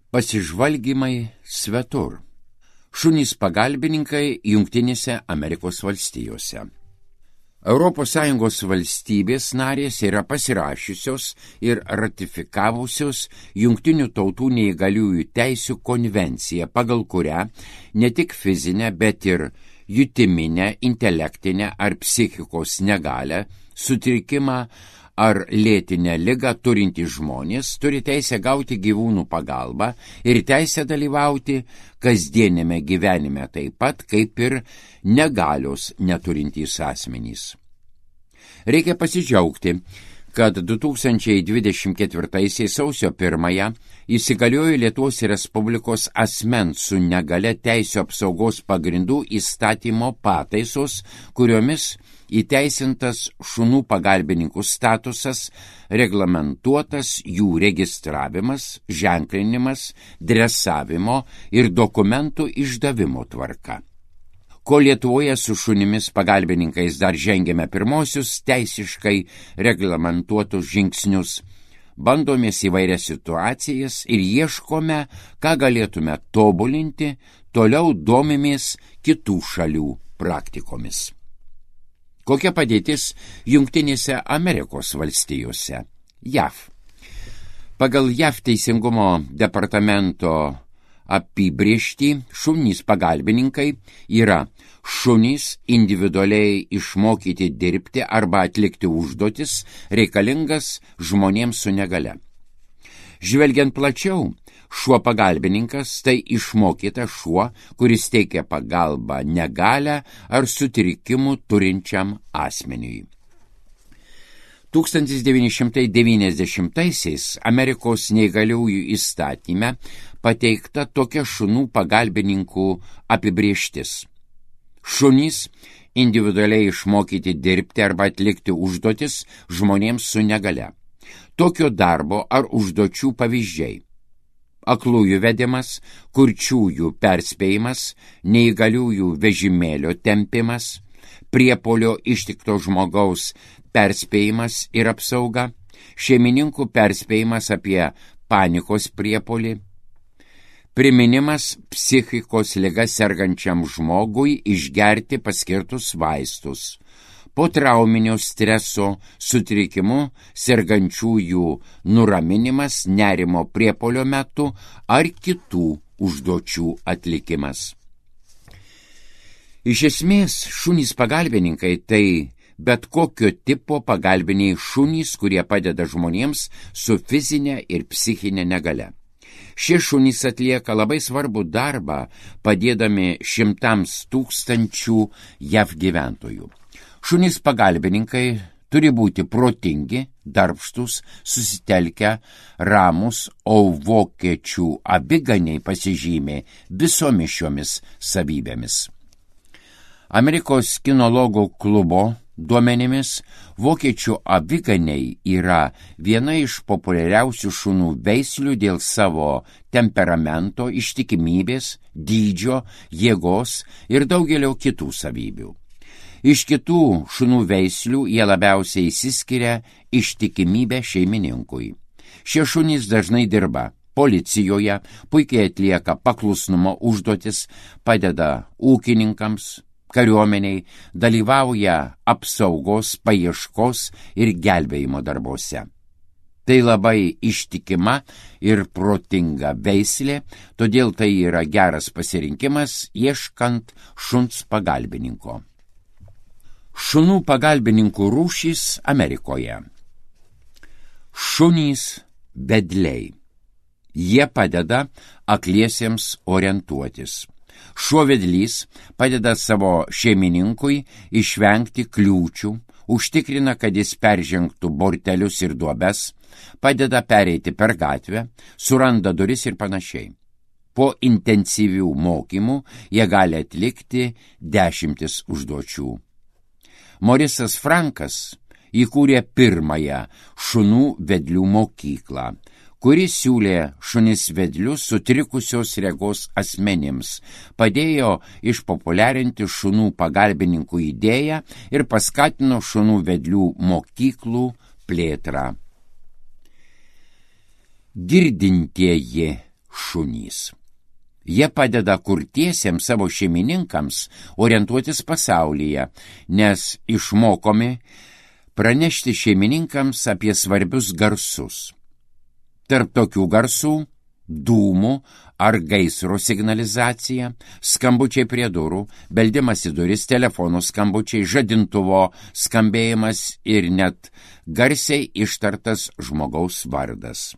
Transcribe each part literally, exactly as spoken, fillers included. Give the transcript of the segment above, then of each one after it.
Pasižvalgymai svetur. Šunys pagalbininkai Jungtinėse Amerikos valstijose. Europos Sąjungos valstybės narės yra pasirašiusios ir ratifikavusios Jungtinių tautų neįgaliųjų teisių konvenciją, pagal kurią ne tik fizinę, bet ir jutiminę, intelektinę ar psichikos negalią, sutrikimą ar lėtinę ligą turintys žmonės turi teisę gauti gyvūnų pagalbą ir teisę dalyvauti kasdienėme gyvenime taip pat, kaip ir negalios neturintys asmenys. Reikia pasidžiaugti, kad du tūkstančiai dvidešimt ketvirtaisiais sausio pirmąją įsigaliojo Lietuvos Respublikos asmens su negale teisių apsaugos pagrindų įstatymo pataisos, kuriomis įteisintas šunų pagalbininkų statusas, reglamentuotas jų registravimas, ženklinimas, dresavimo ir dokumentų išdavimo tvarka. Kol Lietuvoje su šunimis pagalbininkais dar žengėme pirmosius teisiškai reglamentuotus žingsnius, bandomės įvairias situacijas ir ieškome, ką galėtume tobulinti, toliau domimės kitų šalių praktikomis. Kokia padėtis Jungtinėse Amerikos valstijose? J A V. Pagal J A V teisingumo departamento apibrėžtį šunys pagalbininkai yra šunys individualiai išmokyti dirbti arba atlikti užduotis reikalingas žmonėms su negale. Žvelgiant plačiau, šuo pagalbininkas tai išmokytas šuo, kuris teikia pagalbą negalią ar sutrikimų turinčiam asmeniui. tūkstantis devyni šimtai devyniasdešimtaisiais Amerikos neįgaliųjų įstatyme pateikta tokia šunų pagalbininkų apibrėžtis. Šunys individualiai išmokyti dirbti arba atlikti užduotis žmonėms su negale. Tokio darbo ar užduočių pavyzdžiai: aklųjų vedimas, kurčiųjų perspėjimas, neįgaliųjų vežimėlio tempimas, priepuolio ištikto žmogaus perspėjimas ir apsauga, šeimininkų perspėjimas apie panikos priepuolį, priminimas psichikos liga sergančiam žmogui išgerti paskirtus vaistus, po trauminio streso sutrikimu sergančiųjų nuraminimas nerimo priepuolio metu ar kitų užduočių atlikimas. Iš esmės, šunys pagalbininkai tai bet kokio tipo pagalbiniai šunys, kurie padeda žmonėms su fizinė ir psichinė negale. Šie šunys atlieka labai svarbų darbą, padėdami šimtams tūkstančių J A V gyventojų. Šunys pagalbininkai turi būti protingi, darbštus, susitelkę, ramus, o vokiečių aviganiai pasižymė visomis šiomis savybėmis. Amerikos kinologų klubo duomenimis, vokiečių aviganiai yra viena iš populiariausių šunų veislių dėl savo temperamento, ištikimybės, dydžio, jėgos ir daugelio kitų savybių. Iš kitų šunų veislių jie labiausiai išsiskiria ištikimybę šeimininkui. Šie šunys dažnai dirba policijoje, puikiai atlieka paklusnumo užduotis, padeda ūkininkams, kariuomeniai, dalyvauja apsaugos, paieškos ir gelbėjimo darbuose. Tai labai ištikima ir protinga veislė, todėl tai yra geras pasirinkimas ieškant šuns pagalbininko. Šunų pagalbininkų rūšys Amerikoje. Šunys vedliai. Jie padeda akliesiems orientuotis. Šuo vedlys padeda savo šeimininkui išvengti kliūčių, užtikrina, kad jis peržengtų bortelius ir duobes, padeda pereiti per gatvę, suranda duris ir panašiai. Po intensyvių mokymų jie gali atlikti dešimtis užduočių. Morisas Frankas įkūrė pirmąją šunų vedlių mokyklą, kuris siūlė šunis vedlius sutrikusios regos asmenims, padėjo išpopuliarinti šunų pagalbininkų idėją ir paskatino šunų vedlių mokyklų plėtrą. Girdintieji šunys. Jie padeda kurtiesiems savo šeimininkams orientuotis pasaulyje, nes išmokomi pranešti šeimininkams apie svarbius garsus. Tarp tokių garsų dūmų ar gaisro signalizacija, skambučiai prie durų, beldimas į duris, telefonų skambučiai, žadintuvo skambėjimas ir net garsiai ištartas žmogaus vardas.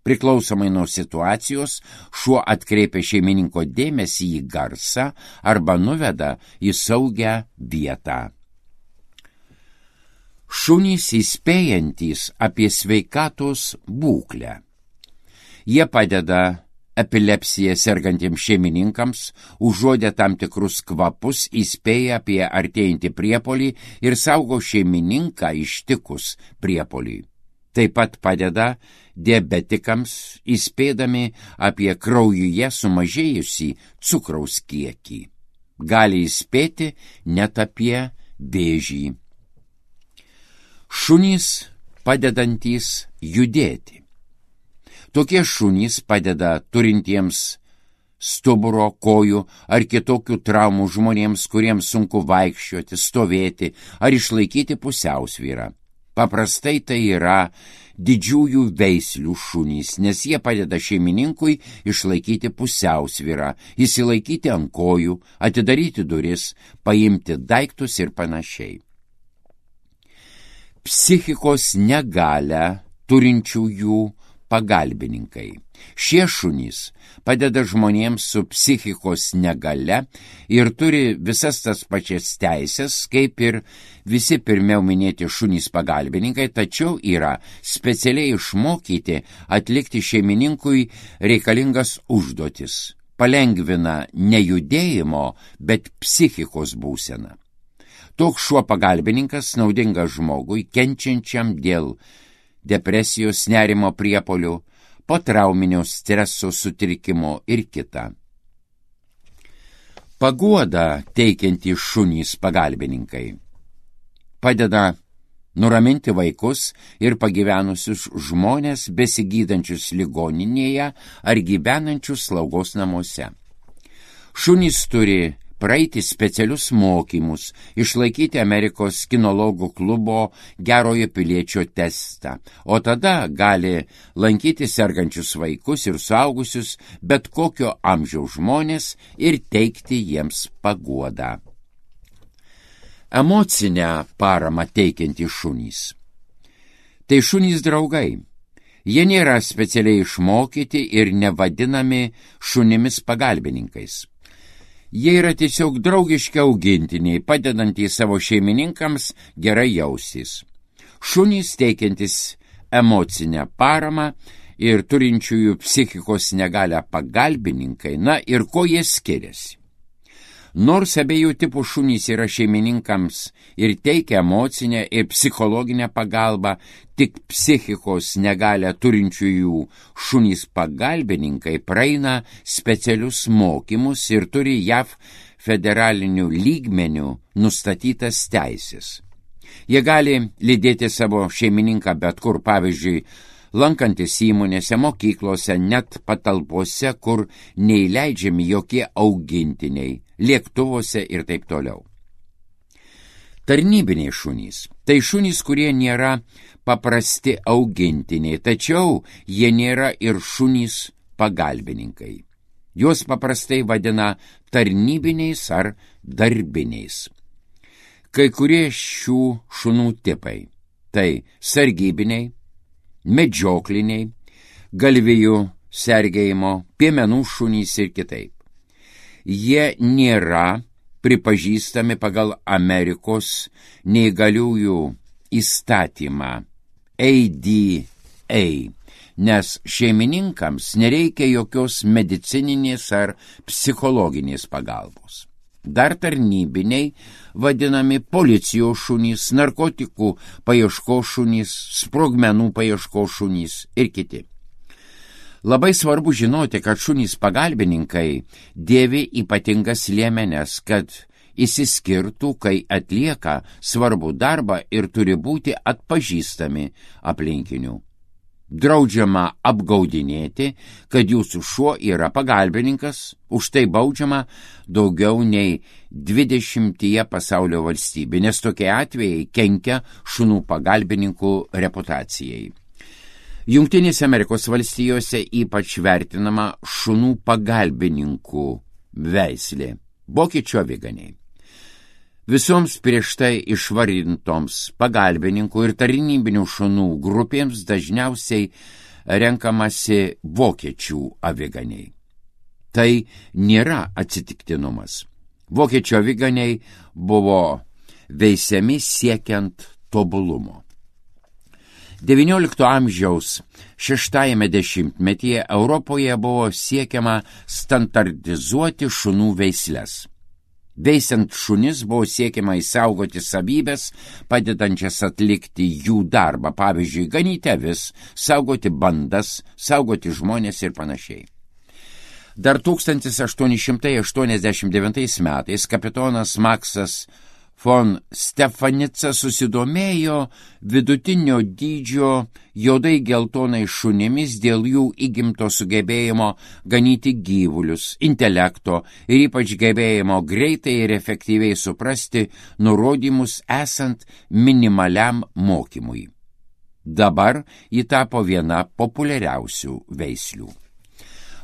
Priklausomai nuo situacijos, šuo atkreipia šeimininko dėmesį į garsą arba nuveda į saugią vietą. Šunys įspėjantys apie sveikatos būklę. Jie padeda epilepsiją sergantiems šeimininkams, užuodę tam tikrus kvapus, įspėja apie artėjantį priepolį ir saugo šeimininką ištikus priepolį. Taip pat padeda diabetikams, įspėdami apie kraujuje sumažėjusį cukraus kiekį. Gali įspėti net apie vėžį. Šunys padedantys judėti. Tokie šunys padeda turintiems stuburo, kojų ar kitokių traumų žmonėms, kuriems sunku vaikščioti, stovėti ar išlaikyti pusiausvyrą. Paprastai tai yra didžiųjų veislių šunys, nes jie padeda šeimininkui išlaikyti pusiausvyrą, įsilaikyti ant kojų, atidaryti duris, paimti daiktus ir panašiai. Psichikos negalią turinčiųjų pagalbininkai. Šie šunys padeda žmonėms su psichikos negale ir turi visas tas pačias teisės, kaip ir visi pirmiau minėti šunys pagalbininkai, tačiau yra specialiai išmokyti atlikti šeimininkui reikalingas užduotis. Palengvina ne judėjimo, bet psichikos būseną. Toks šuo pagalbininkas naudingas žmogui, kenčiančiam dėl depresijos, nerimo priepuolių, potrauminio streso sutrikimo ir kita. Paguoda teikiantys šunys pagalbininkai padeda nuraminti vaikus ir pagyvenusius žmonės besigydančius ligoninėje ar gyvenančius slaugos namuose. Šunys turi praeiti specialius mokymus, išlaikyti Amerikos kinologų klubo gerojo piliečio testą, o tada gali lankyti sergančius vaikus ir suaugusius bet kokio amžiaus žmonės ir teikti jiems paguodą. Emocinę paramą teikiantys šunys. Tai šunys draugai. Jie nėra specialiai išmokyti ir nevadinami šunimis pagalbininkais. Jie yra tiesiog draugiški augintiniai, padedantys savo šeimininkams gerai jaustis. Šunys teikiantis emocinę paramą ir turinčiųjų psichikos negalią pagalbininkai, na ir ko jie skiriasi. Nors abiejų tipų šunys yra šeimininkams ir teikia emocinę ir psichologinę pagalbą, tik psichikos negalią turinčiųjų šunys pagalbininkai praeina specialius mokymus ir turi J A V federalinių lygmenių nustatytas teisės. Jie gali lydėti savo šeimininką bet kur, pavyzdžiui, lankantis įmonėse, mokyklose, net patalpose, kur neįleidžiami jokie augintiniai, lėktuvuose ir taip toliau. Tarnybiniai šunys. Tai šunys, kurie nėra paprasti augintiniai, tačiau jie nėra ir šunys pagalbininkai. Juos paprastai vadina tarnybiniais ar darbiniais. Kai kurie šių šunų tipai – tai sargybiniai, medžiokliniai, galvijų sergėjimo, piemenų šunys ir kitaip. Jie nėra pripažįstami pagal Amerikos neįgaliųjų įstatymą A D A, nes šeimininkams nereikia jokios medicininės ar psichologinės pagalbos. Dar tarnybiniai vadinami policijos šunys, narkotikų paieškos šunys, sprogmenų paieškos šunys ir kiti. Labai svarbu žinoti, kad šunys pagalbininkai dėvi ypatingas liemenes, kad išsiskirtų, kai atlieka svarbų darbą ir turi būti atpažįstami aplinkinių. Draudžiama apgaudinėti, kad jūsų šuo yra pagalbininkas, už tai baudžiama daugiau nei dvidešimtyje pasaulio valstybių, nes tokie atvejai kenkia šunų pagalbininkų reputacijai. Jungtinėse Amerikos valstijose ypač vertinama šunų pagalbininkų veislė – vokiečių aviganiai. Visoms prieš tai išvardintoms pagalbininkų ir tarnybinių šunų grupėms dažniausiai renkamasi vokiečių aviganiai. Tai nėra atsitiktinumas. Vokiečių aviganiai buvo veisiami siekiant tobulumo. devyniolikto amžiaus šeštajame dešimtmetyje Europoje buvo siekiama standartizuoti šunų veisles. Veisiant šunis buvo siekiama išsaugoti savybės, padedančias atlikti jų darbą, pavyzdžiui, ganyti avis, saugoti bandas, saugoti žmonės ir panašiai. Dar tūkstantis aštuoni šimtai aštuoniasdešimt devintais metais kapitonas Maksas von Stefanica susidomėjo vidutinio dydžio juodai geltonai šunimis dėl jų įgimto sugebėjimo ganyti gyvulius, intelekto ir ypač gebėjimo greitai ir efektyviai suprasti nurodymus esant minimaliam mokymui. Dabar ji tapo viena populiariausių veislių.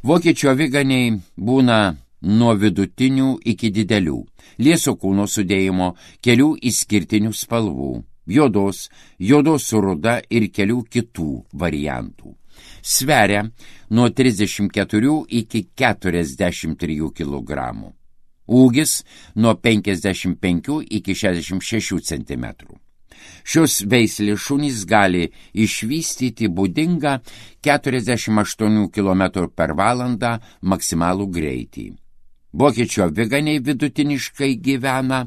Vokiečių aviganiai būna nuo vidutinių iki didelių, lieso kūno sudėjimo, kelių išskirtinių spalvų, juodos, juodos su ruda ir kelių kitų variantų. Sveria nuo trisdešimt keturių iki keturiasdešimt trijų kilogramų. Ūgis nuo penkiasdešimt penkių iki šešiasdešimt šešių centimetrų. Šios veislės šunys gali išvystyti būdingą keturiasdešimt aštuonių kilometrų per valandą maksimalų greitį. Vokiečių aviganiai vidutiniškai gyvena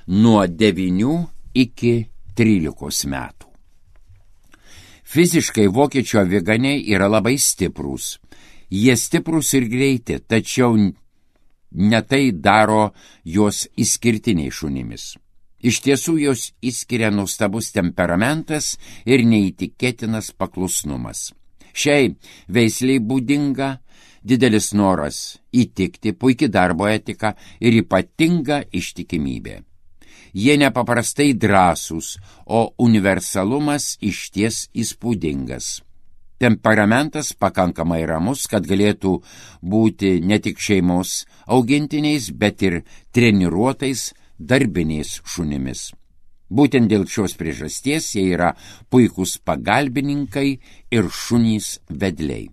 nuo devynių iki trylikos metų. Fiziškai vokiečių aviganiai yra labai stiprūs. Jie stiprūs ir greiti, tačiau ne tai daro juos išskirtiniai šunimis. Iš tiesų jos išskiria nuostabus temperamentas ir neįtikėtinas paklusnumas. Šiai veisliai būdinga didelis noras įtikti, puiki darbo etika ir ypatinga ištikimybė. Jie nepaprastai drąsūs, o universalumas išties įspūdingas. Temperamentas pakankamai ramus, kad galėtų būti ne tik šeimos augintiniais, bet ir treniruotais darbiniais šunimis. Būtent dėl šios priežasties jie yra puikūs pagalbininkai ir šunys vedliai.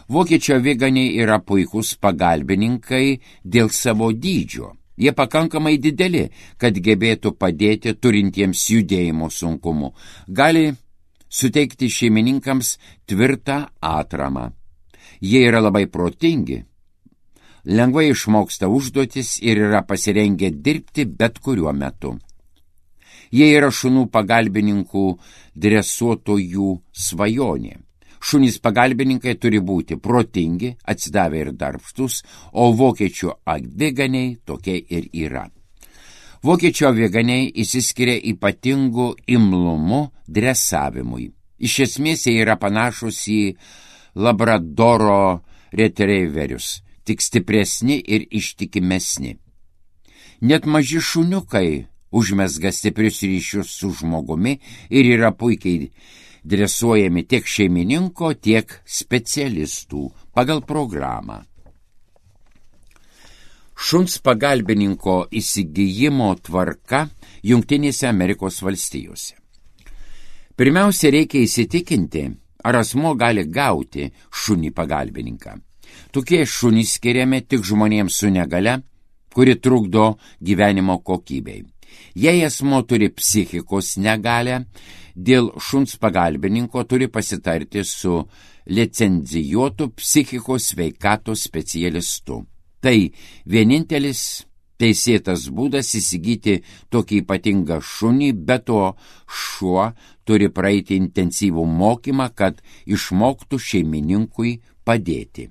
Vokiečių aviganiai yra puikūs pagalbininkai dėl savo dydžio. Jie pakankamai dideli, kad gebėtų padėti turintiems judėjimo sunkumų. Gali suteikti šeimininkams tvirtą atramą. Jie yra labai protingi, lengvai išmoksta užduotis ir yra pasirengę dirbti bet kuriuo metu. Jie yra šunų pagalbininkų dresuotojų svajonė. Šunys pagalbininkai turi būti protingi, atsidavę ir darbštus, o vokiečių aviganiai tokie ir yra. Vokiečių aviganiai išsiskiria ypatingu imlumu dresavimui. Iš esmės jie yra panašus į labradoro retrieverius, tik stipresni ir ištikimesni. Net maži šuniukai užmezga stiprius ryšius su žmogumi ir yra puikiai dresuojami tiek šeimininko, tiek specialistų pagal programą. Šuns pagalbininko įsigijimo tvarka Jungtinėse Amerikos valstijose. Pirmiausia, reikia įsitikinti, ar asmuo gali gauti šunį pagalbininką. Tokie šunys skiriami tik žmonėms su negale, kuri trukdo gyvenimo kokybei. Jei asmuo turi psichikos negalę, dėl šuns pagalbininko turi pasitarti su licencijuotu psichikos sveikatos specialistu. Tai vienintelis teisėtas būdas įsigyti tokį ypatingą šunį, bet to šuo turi praeiti intensyvų mokymą, kad išmoktų šeimininkui padėti.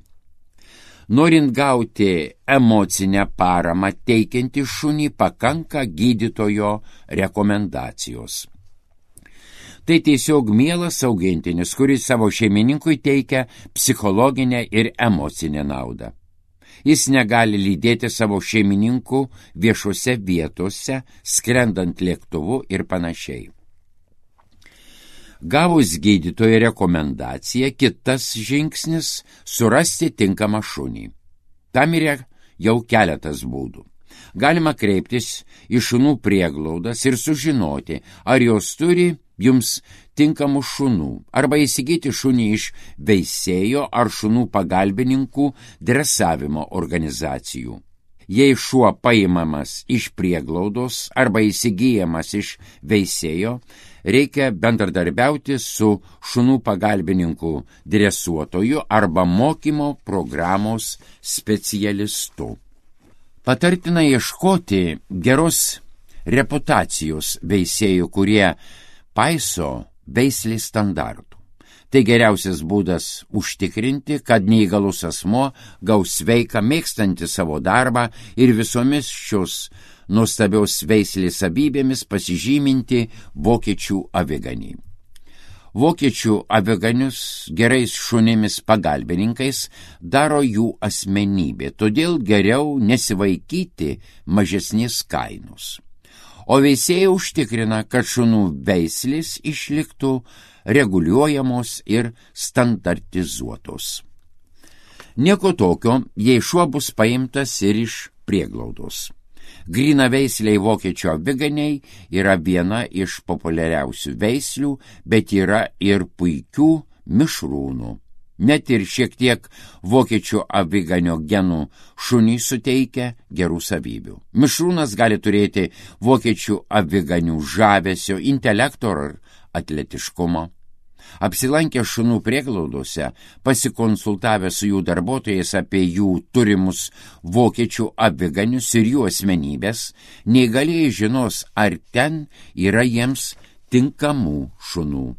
Norint gauti emocinę paramą teikiantį šunį, pakanka gydytojo rekomendacijos. Tai tiesiog mielas augintinis, kuris savo šeimininkui teikia psichologinę ir emocinę naudą. Jis negali lydėti savo šeimininkų viešose vietose, skrendant lėktuvu ir panašiai. Gavus gydytojo rekomendaciją, kitas žingsnis – surasti tinkamą šunį. Tam yra jau keletas būdų. Galima kreiptis į šunų prieglaudas ir sužinoti, ar jos turi jums tinkamų šunų, arba įsigyti šunį iš veisėjo ar šunų pagalbininkų dresavimo organizacijų. Jei šuo paimamas iš prieglaudos arba įsigyjamas iš veisėjo, reikia bendradarbiauti su šunų pagalbininkų dresuotoju arba mokymo programos specialistu. Patartina ieškoti geros reputacijos veisėjų, kurie paiso veislės standartų. Tai geriausias būdas užtikrinti, kad neįgalus asmuo gaus sveiką, mėgstantį savo darbą ir visomis šios nuostabios veislės savybėmis pasižyminti vokiečių aviganį. Vokiečių aviganius gerais šunimis pagalbininkais daro jų asmenybė, todėl geriau nesivaikyti mažesnės kainos. O veisėjai užtikrina, kad šunų veislės išliktų reguliuojamos ir standartizuotos. Nieko tokio, jei šuo bus paimtas ir iš prieglaudos. Gryna veisliai vokiečių aviganiai yra viena iš populiariausių veislių, bet yra ir puikių mišrūnų. Net ir šiek tiek vokiečių aviganio genų šuniui suteikia gerų savybių. Mišrūnas gali turėti vokiečių aviganių žavesio, intelekto ar atletiškumo. Apsilankę šunų prieglaudose, pasikonsultavę su jų darbuotojais apie jų turimus vokiečių aviganius ir jų asmenybės, neįgalieji žinos, ar ten yra jiems tinkamų šunų.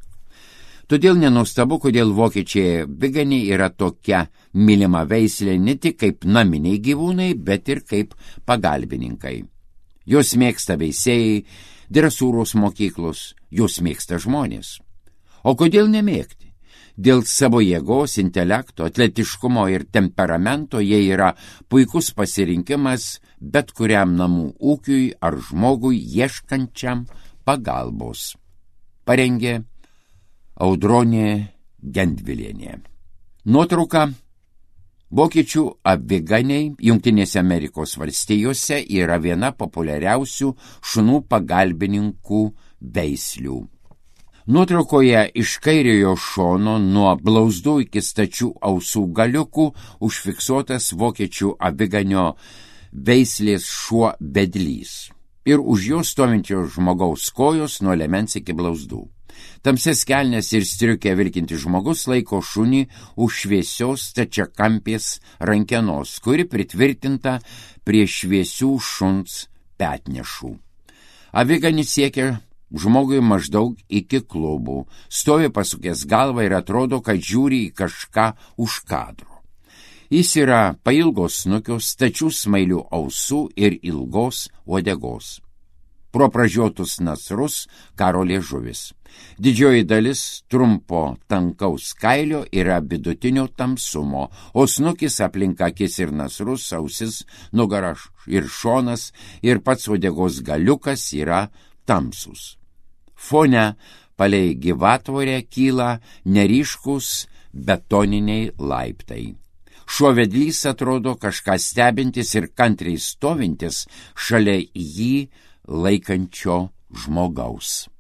Todėl nenuostabu, kodėl vokiečiai aviganiai yra tokia mylima veislė ne tik kaip naminiai gyvūnai, bet ir kaip pagalbininkai. Jos mėgsta veisėjai, dresūros mokyklos, jos mėgsta žmonės. O kodėl nemėgti? Dėl savo jėgos, intelekto, atletiškumo ir temperamento jie yra puikus pasirinkimas bet kuriam namų ūkiui ar žmogui ieškančiam pagalbos. Parengė Audronė Gendvilienė. Nuotrauka. Vokiečių aviganiai Jungtinėse Amerikos valstijose yra viena populiariausių šunų pagalbininkų veislių. Nuotraukoje iš kairiojo šono nuo blauzdų iki stačių ausų galiukų užfiksuotas vokiečių aviganio veislės šuo vedlys ir už jo stovinčio žmogaus kojos nuo liemens iki blauzdų. Tamsias kelnes ir striukę vilkintis žmogus laiko šunį už šviesios stačiakampės rankenos, kuri pritvirtinta prie šviesių šuns petnešų. Aviganis siekia žmogui maždaug iki klubų, stovi pasukęs galvą ir atrodo, kad žiūri į kažką už kadro. Jis yra pailgos snukios, stačių smailių ausų ir ilgos uodegos. Pro pražiotus nasrus karo liežuvis. Didžioji dalis trumpo tankaus kailio yra vidutinio tamsumo, o snukis aplink akis ir nasrus, ausis, nugara ir šonas ir pats uodegos galiukas yra tamsus. Fone palei gyvatvorę kyla neryškus betoniniai laiptai. Šuo vedlys atrodo kažką stebintis ir kantriai stovintis šalia jį laikančio žmogaus.